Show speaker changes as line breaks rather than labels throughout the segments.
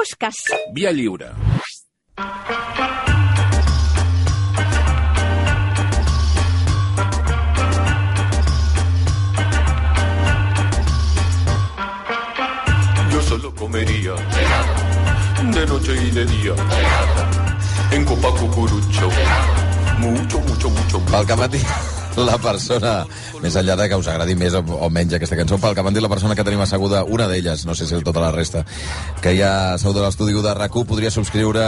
fosques.
Via lliure.
Yo solo comería de noche y de día en copa cucurucho. Mucho, mucho, mucho.
Pel que m'ha dit la persona, més enllà de que us agradi més o menys aquesta cançó, pel que m'ha dit la persona que tenim asseguda, una d'elles, no sé si tota la resta, que hi ha asseguda a l'estudi de RAC1, podria subscriure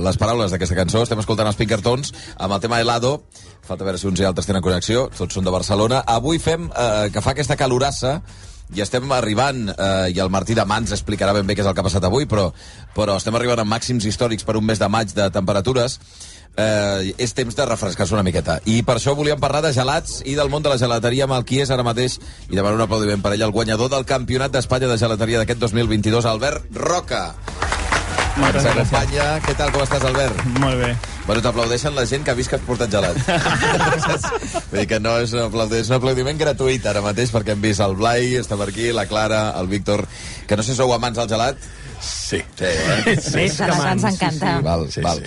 les paraules d'aquesta cançó. Estem escoltant els Pinkertons amb el tema Helado. Falta veure si uns i altres tenen connexió. Tots són de Barcelona. Avui fem que fa aquesta calorassa i estem arribant, i el Martí de Mans explicarà ben bé què és el que ha passat avui, però estem arribant a màxims històrics per un mes de maig de temperatures. És temps de refrescar-se una miqueta. I per això volíem parlar de gelats i del món de la gelateria amb el qui és ara mateix, i demanar un aplaudiment per ell, el guanyador del Campionat d'Espanya de Gelateria d'aquest 2022, Albert Roca.
Moltes gràcies.
S'acompanya. Què tal, com estàs, Albert?
Molt bé.
Bueno, t'aplaudeixen la gent que ha vist que has portat gelat. Vull dir que no és un aplaudiment gratuït ara mateix, perquè hem vist el Blai, està per aquí, la Clara, el Víctor, que no sé si sou amants del gelat.
Sí.
Sí, ens encanta.
Sí, val.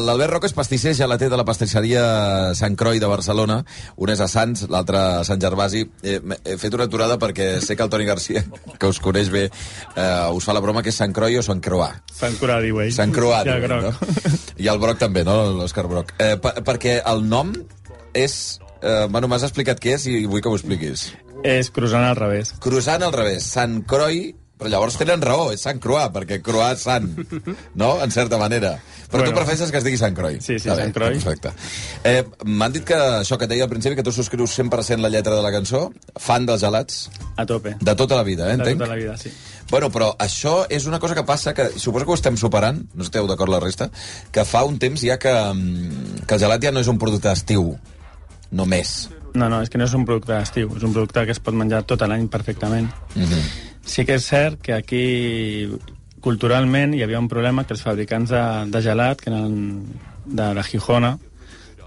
L'Albert Roca és pastisser gelater de la pastisseria Sant Croi de Barcelona. Un és a Sants, l'altre a Sant Gervasi. He fet una aturada perquè sé que el Toni Garcia, que us coneix bé, us fa la broma que és Sant Croi o Sant Croà.
Sant Croà, diu ell.
Sant Croà,
I el
diu ell, no? I el Broc també, no? L'Òscar Broc. Perquè el nom és... Bueno, m'has explicat què és i vull que ho expliquis.
És croissant al revés.
Croissant al revés. Sant Croi... Però llavors tenen raó, és Sant Croà, perquè Croà és Sant, no? En certa manera. Però tu prefereixes que es digui Sant Croi.
Sí, Sant Croi.
Perfecte. M'han dit que això que et deia al principi, que tu subscrius 100% la lletra de la cançó, fan dels gelats.
A tope.
De tota la vida, entenc?
De tota la vida, sí.
Bueno, però això és una cosa que passa, que suposo que ho estem superant, no esteu d'acord la resta, que fa un temps ja que el gelat ja no és un producte d'estiu, només.
No, és que no és un producte d'estiu, és un producte que es pot menjar tot l'any perfectament. Sí que és cert que aquí culturalment hi havia un problema, que els fabricants de gelat, que eren de la Gijona,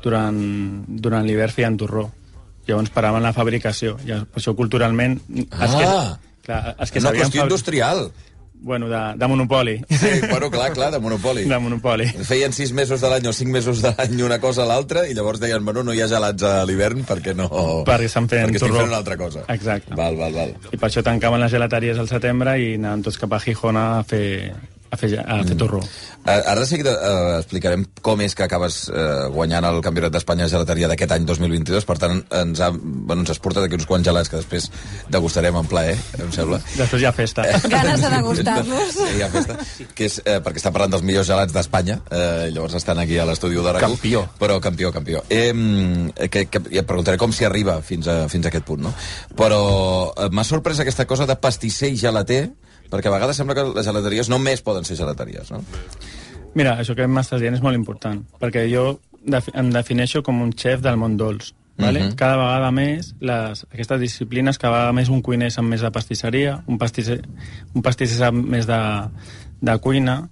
durant l'hivern feien torró. Llavors paraven la fabricació. I per això culturalment...
Una qüestió industrial.
Bueno, de monopoli.
Sí, bueno, clar, de monopoli.
De monopoli.
Feien 6 mesos de l'any o 5 mesos de l'any una cosa a l'altra i llavors deien, bueno, no hi ha gelats a l'hivern perquè no...
Perquè estan fent
perquè estic fent una altra cosa.
Exacte.
Val.
I per això tancaven les gelateries al setembre i anaven tots cap a Gijona a fer torró.
Ara de seguida explicarem com és que acabes guanyant el Campionat d'Espanya de Gelateria d'aquest any 2022. Per tant, ens has portat aquí uns quants gelats que després degustarem en plaer, em sembla.
Després hi ha festa.
Ganes de degustar-los.
Sí, hi ha festa. Que és, perquè està parlant dels millors gelats d'Espanya. Llavors estan aquí a l'estudi de RAC1.
Campió.
Però campió. Ja et preguntaré com s'hi arriba fins a aquest punt, no? Però m'ha sorprès aquesta cosa de pastisser i gelater, perquè a vegades sembla que les gelateries només poden ser gelateries, no?
Mira, això que m'estàs dient és molt important, perquè jo em defineixo com un xef del món dolç. Vale? Cada vegada més, aquestes disciplines, cada vegada més un cuiner sap més de pastisseria, un pastisser sap més de cuina,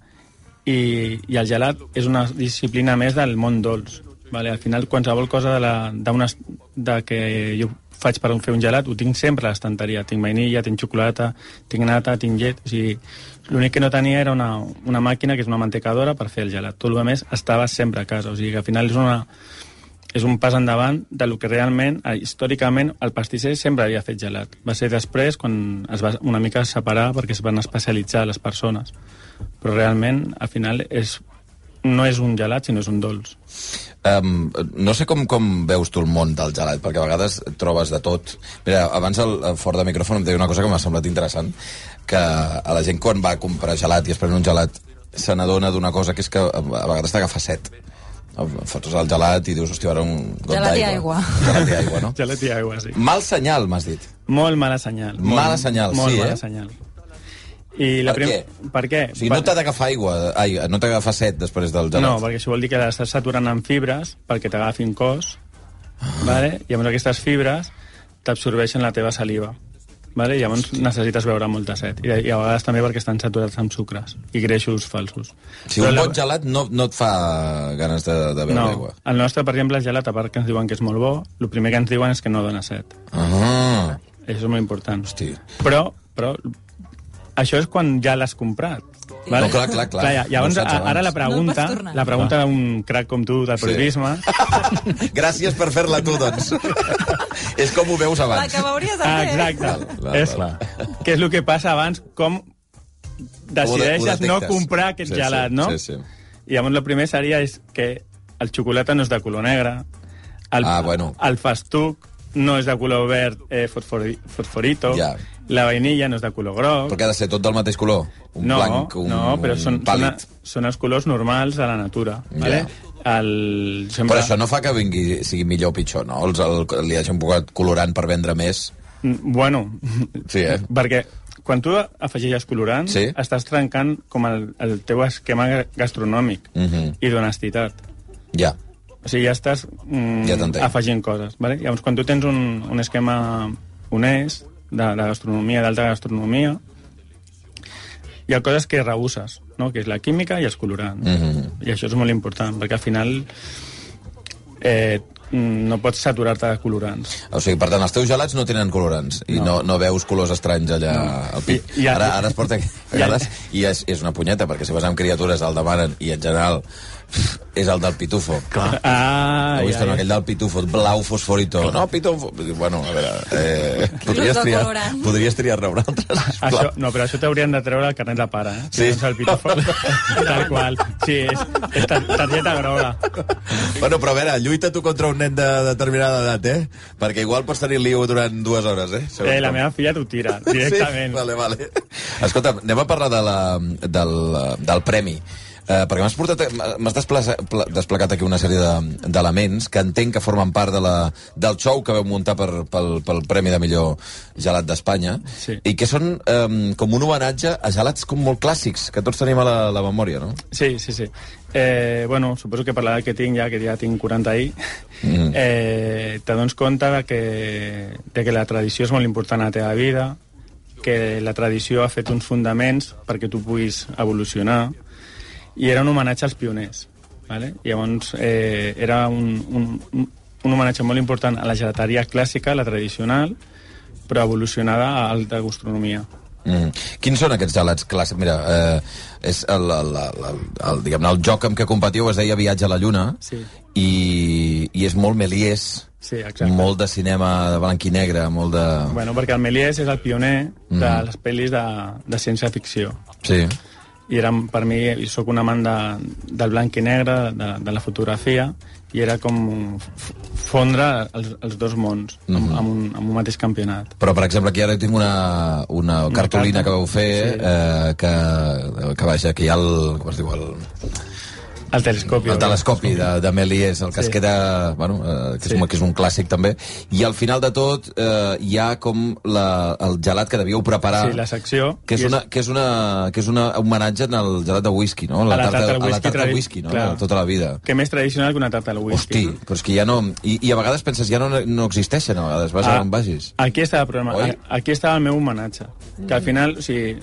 i el gelat és una disciplina més del món dolç. Vale? Al final, qualsevol cosa de que jo faig per fer un gelat, ho tinc sempre a l'estanteria. Tinc vainilla, tinc xocolata, tinc nata, tinc llet... O sigui, l'únic que no tenia era una màquina, que és una mantecadora, per fer el gelat. Tot el més estava sempre a casa. O sigui, que al final és un pas endavant del que realment, històricament, el pastisser sempre havia fet gelat. Va ser després quan es va una mica separar perquè es van especialitzar les persones. Però realment, al final, no és un gelat, sinó és un dolç.
No sé com veus tu el món del gelat, perquè a vegades trobes de tot. Mira, abans fora de micròfon em deia una cosa que m'ha semblat interessant, que a la gent quan va a comprar gelat i es pren un gelat se n'adona d'una cosa, que és que a vegades t'agafa set. Fotos el gelat i dius, hòstia, ara un got d'aigua.
Gelat i aigua.
Gelat i aigua, no?
Gelat i aigua, sí.
Mal senyal, m'has dit.
Molt mala senyal.
Mala senyal, sí,
molt mala senyal. I
per què?
Per què?
O sigui, no t'ha d'agafar aigua, no t'ha d'agafar set després del gelat.
No, perquè això vol dir que l'estàs saturant amb fibres perquè t'agafin cos, vale? I llavors aquestes fibres t'absorbeixen la teva saliva. Vale? I llavors necessites beure molta set. I a vegades també perquè estan saturats amb sucres i greixos falsos.
Si un bon gelat no et fa ganes de beure aigua.
No, el nostre, per exemple, el gelat, a part que ens diuen que és molt bo, el primer que ens diuen és que no dona set.
Això
és molt important.
Hosti.
Però Això és quan ja l'has comprat. Vale?
No, clar.
Llavors,
No
ara la pregunta d'un crac com tu del periodisme...
Gràcies per fer-la tu, doncs. És com ho veus abans.
La que m'hauries de fer.
Exacte. Què és el que passa abans, com decideixes no comprar aquest gelat, no?
Sí.
I llavors el primer seria és que el xocolata no és de color negre, el festuc no és de color verd fosforito, la vainilla no és de color groc...
Perquè ha de ser tot del mateix color? Blanc,
però
pàl·lid.
són els colors normals de la natura. Vale?
Però això no fa que sigui millor o pitjor, no? Li hagin posat colorant per vendre més?
Bueno,
sí,
perquè quan tu afegeixes colorant, estàs trencant com el teu esquema gastronòmic i d'honestitat.
Ja.
O sigui, ja estàs afegint coses. Vale? Llavors, quan tu tens un esquema honest, de gastronomia, d'alta gastronomia, hi ha coses que rehuses, no? Que és la química i els colorants. I això és molt important, perquè al final no pots saturar-te de colorants.
O sigui, per tant, els teus gelats no tenen colorants i no veus colors estranys allà al pit. Ara es porta i és una punyeta, perquè si vas amb criatures el demanen i en general és el del pitufo.
Clar.
Heu vist aquell del pitufo, blau fosforito. No, pitufo... Bueno, a veure... podries triar-ne un altre.
No, però això t'haurien de treure el carnet de pare, eh?
Sí.
El pitufo. Tal qual. Sí, és targeta groga.
Bueno, però a veure, lluita tu contra un nen de determinada edat, eh? Perquè igual pots tenir lío durant 2 hores, eh?
La meva filla t'ho tira, directament.
Sí? Vale. Escolta, anem a parlar del premi. Perquè m'has desplegat aquí una sèrie d'elements que entenc que formen part del show que vau muntar pel Premi de Millor Gelat d'Espanya, i que són com un homenatge a gelats com molt clàssics, que tots tenim a la memòria, no?
Sí. Bueno, suposo que per l'edat que ja tinc 40 ahir, te dones compte de que la tradició és molt important a la teva vida, que la tradició ha fet uns fonaments perquè tu puguis evolucionar, i era un homenatge als pioners. Vale? Llavors, era un homenatge molt important a la gelateria clàssica, la tradicional, però evolucionada a alta gastronomia.
Quins són aquests gelats clàssics? Mira, és diguem-ne, el joc amb què competiu es deia Viatge a la Lluna, i és molt Méliès, molt de cinema de blanc i negre, molt de...
Bueno, perquè el Méliès és el pioner de les pel·lis de ciència-ficció.
Sí.
I per mi, soc un amant del blanc i negre, de la fotografia, i era com fondre els dos mons amb un mateix campionat.
Però, per exemple, aquí ara tinc una cartolina que vau fer, que vaja, que hi ha com es diu,
el telescopi.
El telescopi de Méliès, el que es queda... Bueno, que és un clàssic, també. I al final de tot hi ha com el gelat que devíeu preparar...
Sí, la secció...
Que és un homenatge al gelat de whisky, no?
A la tarta
de whisky, no? Tota la vida.
Que més tradicional que una tarta de whisky.
Hosti, però és que ja no... I a vegades penses, ja no existeixen, a vegades, vas on vagis.
Aquí estava el problema. Aquí estava el meu homenatge. Que al final, o sigui,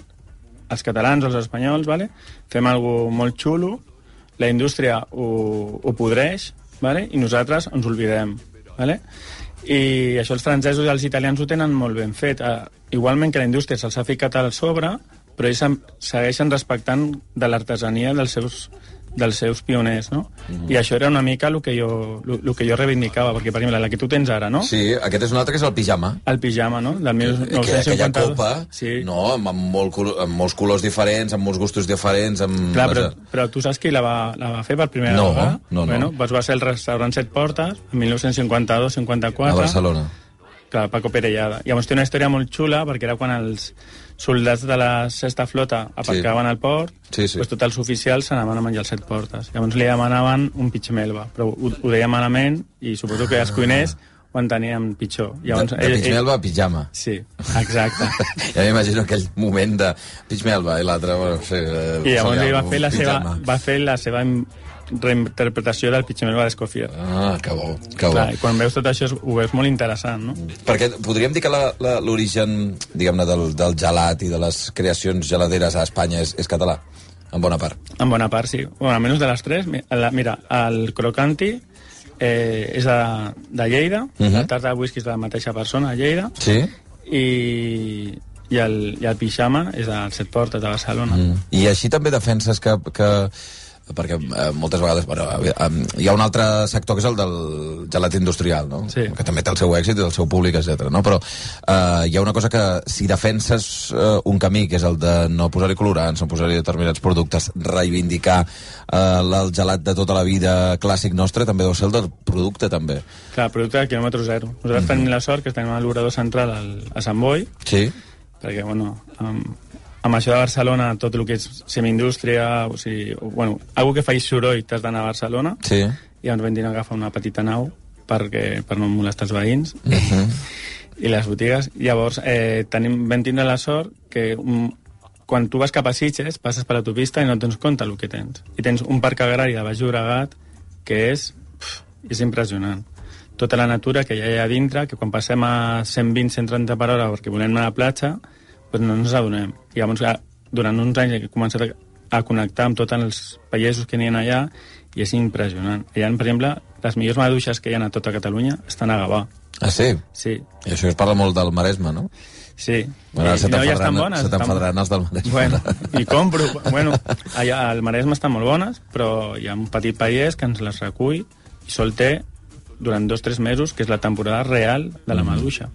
els catalans o els espanyols, vale? Fem alguna cosa molt xulo, la indústria ho podreix, vale? I nosaltres ens oblidem. Vale? I això els francesos i els italians ho tenen molt ben fet. Igualment que la indústria se'ls ha ficat al sobre, però ells segueixen respectant de l'artesania dels seus pioners, no? I això era una mica el que jo reivindicava, perquè, per exemple, la que tu tens ara, no?
Sí, aquest és un altre que és el pijama.
El pijama, no? Del 1952.
Aquella copa, no? Amb molts colors diferents, amb molts gustos diferents...
Clar, però tu saps qui la va fer per primera vegada?
No.
Bueno, va ser el restaurant Set Portes, en 1952-54.
A Barcelona.
Clar, Paco Perellada. Llavors té una història molt xula, perquè era quan els soldats de la Sexta Flota aparcaven al port, doncs tots els oficials s'anaven a menjar els Set Portes. Llavors li demanaven un pitxmelva, però ho deia malament, i suposo que els cuiners ho entenien pitjor. Llavors,
de pitxmelva a pijama.
Sí, exacte.
Ja m'imagino aquell moment de pitxmelva i l'altre... Bueno,
i llavors ell va fer la seva reinterpretació del pitxmelva d'Escoffier.
Que bo.
Clar, i quan veus tot això ho veus molt interessant, no?
Perquè podríem dir que l'origen, diguem-ne, del gelat i de les creacions geladeres a Espanya és català, en bona part.
En bona part, sí. Bueno, almenys de les tres. Mira, el crocanti és de Lleida, la tarta de whisky és de la mateixa persona, a Lleida,
sí.
I i el pijama és al Set Portes de Barcelona.
I així també defenses que perquè moltes vegades hi ha un altre sector que és el del gelat industrial, no?
Sí.
Que també té el seu èxit i el seu públic, etc. No? Però hi ha una cosa que si defenses un camí, que és el de no posar-hi colorants, no posar-hi determinats productes, reivindicar el gelat de tota la vida clàssic nostre, també deu ser el del producte, també.
Clar, producte de quilòmetre zero. Nosaltres tenim la sort que tenim l'obrador central a Sant Boi,
Sí?
perquè, bueno, amb això de Barcelona, tot el que és semiindústria, o sigui, bueno, algú que faci soroll t'has d'anar a Barcelona,
Sí.
i llavors vam dir agafar una petita nau per no molestar els veïns i les botigues. Llavors vam tindre la sort que quan tu vas cap a Sitges passes per l'autopista i no et dones compte el que tens. I tens un parc agrari de Baix Llobregat que és impressionant. Tota la natura que hi ha allà dintre, que quan passem a 120-130 per hora perquè volem anar a la platja, doncs no ens adonem. I llavors, durant uns anys he començat a connectar amb tots els pagesos que n'hi ha allà i és impressionant. Allà, per exemple, les millors maduixes que hi ha a tota Catalunya estan a Gavà.
Ah, sí?
Sí.
I això es parla molt del Maresme, no?
Sí.
Bueno, se
ja estan bones.
Se t'enfadaran els del Maresme.
Bueno, i compro. Bueno, allà al Maresme estan molt bones, però hi ha un petit pagès que ens les recull i sol té durant 2-3 mesos, que és la temporada real de la maduixa.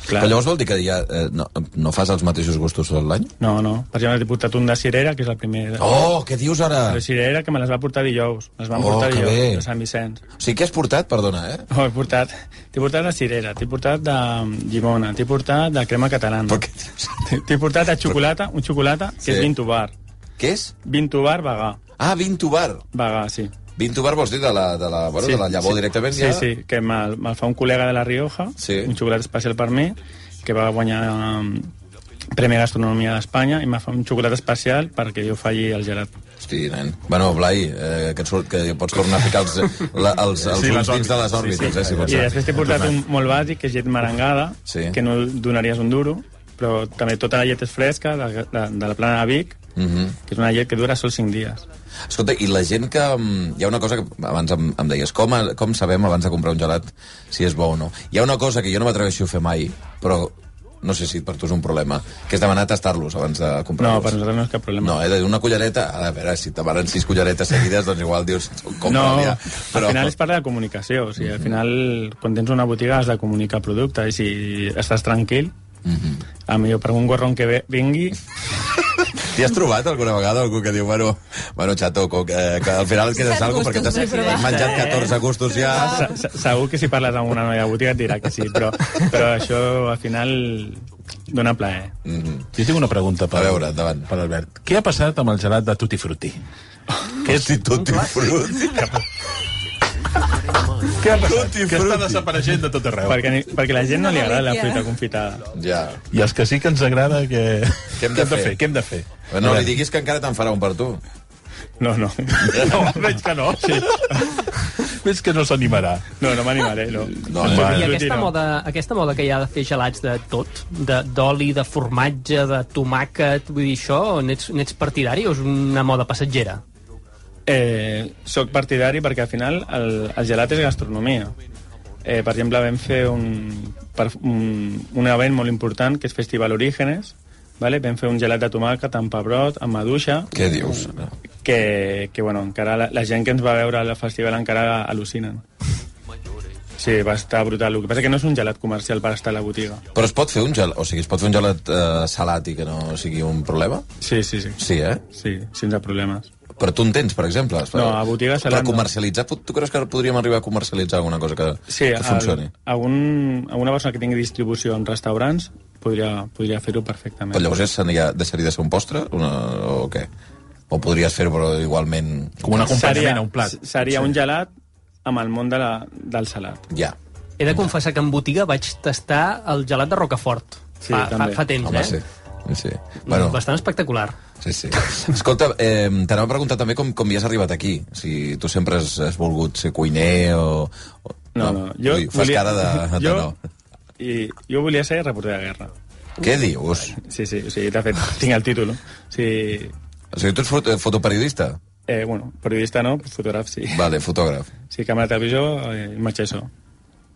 Però llavors vol dir que ja no fas els mateixos gustos tot l'any?
No. Per exemple, he portat un de cirera, que és el primer...
Oh, què dius ara?
De cirera, que me les va portar dijous. Les van portar
que
dijous,
bé.
de Sant Vicenç.
O sigui, què has portat? Perdona,
Oh, t'he portat de cirera, t'he portat de llimona, t'he portat de crema catalana.
Però què dius?
T'he portat de xocolata, un xocolata que és Vintubar.
Què és?
Vintubar vegà.
Ah, Vintubar.
Vegà, sí.
Vintubar vols dir de la llavor directament?
Sí, sí, que me'l fa un col·lega de La Rioja, un xocolat especial per mi, que va guanyar Premi Gastronomia d'Espanya, i m'ha fet un xocolat especial perquè jo falli el gelat.
Hosti, nen. Bueno, Blai, que pots tornar a ficar els ulls dins de les òrbites, si pots.
I després t'he portat un molt bàsic, que és llet merengada, que no donaries un duro, però també tota la llet és fresca, de la plana de Vic, que és una llet que dura sols 5 dies.
Escolta, i la gent que... Hi ha una cosa que abans em deies, com sabem abans de comprar un gelat si és bo o no? Hi ha una cosa que jo no m'atreveixo a fer mai, però no sé si per tu és un problema, que és demanar tastar-los abans de comprar-los.
No, per nosaltres no és cap problema.
No, he de dir una cullereta, a veure, si te demanen 6 culleretes seguides, doncs igual dius, compra-li.
No, al final és part de la comunicació, o sigui, al final, quan tens una botiga has de comunicar el producte, i si estàs tranquil, a millor per un gorron que vingui...
T'hi has trobat alguna vegada algú que diu, bueno, xato, que al final et quedes algo perquè t'has menjat 14 gustos ja...
Segur que si parles amb una noia de botiga et dirà que sí, però això al final dona plaer.
Jo tinc una pregunta per Albert. Què ha passat amb el gelat de Tutti Frutti?
Què és Tutti Frutti?
Què ha passat? Que està desapareixent de tot arreu.
Perquè la gent no li agrada la fruita confitada.
Ja.
I els que sí que ens agrada, què
hem de fer?
Què hem de fer?
No li diguis que encara te'n farà un per tu.
No.
Veig que no. Sí. Veig que no s'animarà.
No m'animaré, no.
I aquesta moda que hi ha de fer gelats de tot, d'oli, de formatge, de tomàquet, vull dir, això, n'ets partidari o és una moda passatgera?
Soc partidari perquè al final el gelat és gastronomia. Per exemple, vam fer un event molt important que és Festival Orígenes, vale? Vam fer un gelat de tomàquet amb pebrot, amb maduixa.
Què dius?
Que bueno, encara la gent que ens va veure al festival encara al·lucinen. Sí, va estar brutal. El que passa que no és un gelat comercial per estar a la botiga.
Però es pot fer un gelat, o sigui, es pot fer un gelat salat i que no sigui un problema?
Sí.
Sí,
Sí, sense problemes.
Però tu en tens, per exemple?
No, a botiga salat
per comercialitzar, tu creus que podríem arribar a comercialitzar alguna cosa que funcioni?
Alguna persona que tingui distribució en restaurants podria fer-ho perfectament.
Però llavors deixaria de ser un postre? O què? O podries fer-ho, però igualment...
Com un acompanyament a un plat.
Seria un gelat amb el món del salat.
Ja.
He de confessar que en botiga vaig tastar el gelat de Rocafort. Fa temps,
home, sí. Bueno,
bastant espectacular.
Sí. Escolta, t'anava a preguntar també com hi has arribat aquí. Si tu sempre has volgut ser cuiner o...
No.
Fas cara de no.
Jo volia ser reporter de guerra.
Què dius?
Sí, o sigui, de fet, tinc el títol. O sigui,
tu ets fotoperiodista?
Bueno, periodista no, fotògraf sí.
Vale, fotògraf.
Sí, càmera de televisió, imatge això.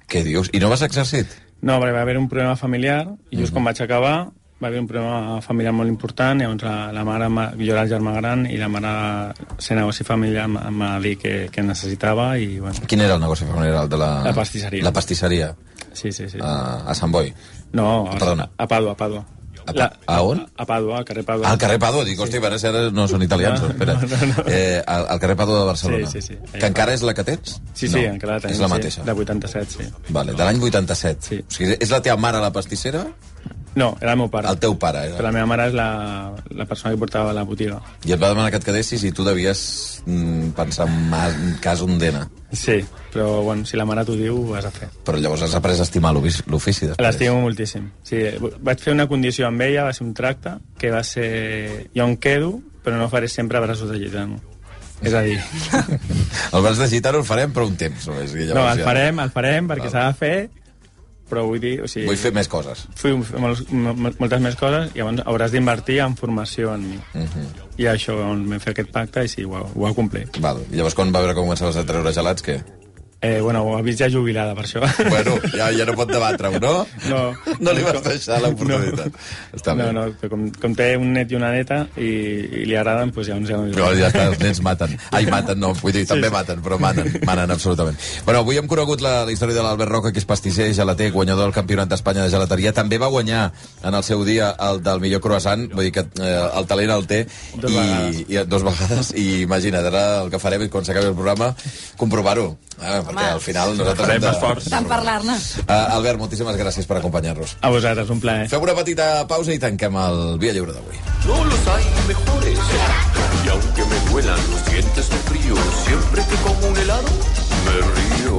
Què dius? I no vas a exercit?
No, perquè va haver un problema familiar i just quan vaig acabar va haver un problema familiar molt important, llavors la mare, jo era el germà gran, i la mare, ser negoci familiar, em va dir que necessitava, i bueno.
Quin era el negoci familiar?
La pastisseria.
La pastisseria?
Sí.
A Sant Boi?
No,
perdona.
A Pàdua.
A on?
A Pàdua, al carrer Pàdua.
Al carrer Pàdua, dic, hòstia, ara no són italians, espera.
No.
Al carrer Pàdua de Barcelona.
Sí.
Que encara és la que tens?
Sí, encara la tenim.
És la mateixa.
De 87, sí.
Vale, de l'any 87.
Sí.
O sigui, és la teva mare la pastissera?
No, era el meu pare.
El teu pare era.
Però la meva mare és la persona que portava la botiga.
I et va demanar que et quedessis i tu devies pensar en cas un dena.
Sí, però bueno, si la mare t'ho diu, ho has de fer.
Però llavors has après a estimar l'ofici després.
L'estimo moltíssim. Sí, vaig fer una condició amb ella, va ser un tracte, que va ser... Jo em quedo, però no faré sempre braços de gitano. És a dir...
El braç de gitano el farem per un temps. No,
el farem perquè s'ha de fer, però vull dir... O sigui,
vull fer més coses.
Moltes més coses, i llavors hauràs d'invertir en formació en mi. I això, vam fer aquest pacte i sí, ho ha complit.
Val. I llavors quan va veure com començaves a treure gelats, què?
Bueno, ho ha vist ja jubilada, per això.
Bueno, ja no pot debatre-ho, no? No li vas deixar l'oportunitat. Està bé.
No, com té un net i una neta i li agraden, doncs ja no...
No, ja està, els nens maten. Ai, maten, no, vull dir, també maten, però manen absolutament. Bueno, avui hem conegut la història de l'Albert Roca, que és pastisser, gelater, guanyador del Campionat d'Espanya de gelateria. També va guanyar en el seu dia el del millor croissant, vull dir que el talent el té. Dos vegades. I imagina't, ara el que farem quan s'acabi el programa, comprovar-ho. Perquè al final nosaltres hem de...
Tant parlar-ne.
Albert, moltíssimes gràcies per acompanyar-nos.
A vosaltres, un plaer.
Fem una petita pausa i tanquem el Via Lliure d'avui.
No los hay mejores. Y aunque me duelan los dientes de frío, siempre que como un helado, me río.